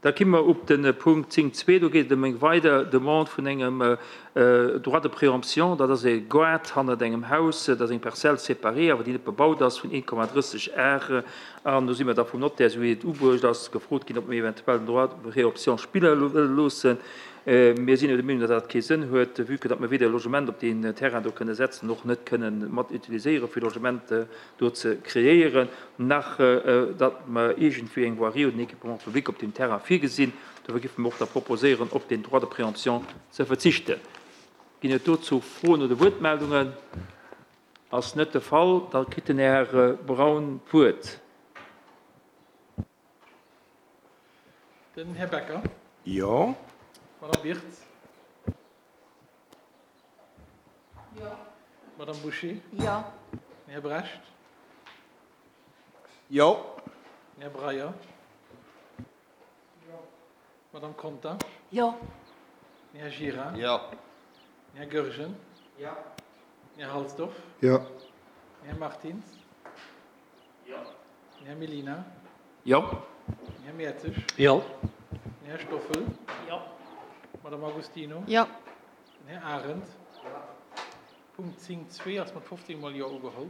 Da ki mer op de Punkt 10.2. Do geet et ëm eng weider Demande vun engem Droit de préemption. Dat ass e Gaart hannert engem Haus. Dat ass eng Parcelle séparée, awer déi net bebaut ass, vun 1,30 Ar. An do si mer da vum Notaire, esou wéi et ubruecht ass, gefrot ginn, ob mir eventuell den Droit de préemption spille wëlle loossen. Mir sinn jo der Meenung, datt dat kee Sënn huet, vue que datt mer weder e Logement op deen Terrain do kënne setzen, och net kënnen mat utiliséiere fir Logement do ze kreéieren, nach datt mer iergendwéi eng Voirie oder en Équipement public op deem Terrain virgesinn. Dofir géife mer och da proposéieren, op deen Droit de préemption ze verzichten. Ginn et dozou Froen oder Wuertmeldungen? Ass net de Fall. Da kritt den Här Braun d'Wuert. Den Här Becker. Jo. D'Madame Birtz. Jo. D'Madame Bouché. Jo. Den Här Brecht. Jo. Den Här Breyer. Jo. D'Madame Conter. Jo. Den Här Gira. Jo. Den Här Goergen. Jo. Den Här Halsdorf. Jo. Den Här Martins. Jo. Den Här Mellina. Jo. Den Här Mertzig. Jo. Den Här Stoffel. Jo. D'Madame Agostino. Jo. Den Här Arendt. Punkt 10, 2 ass mat 15 mol Jo ugeholl.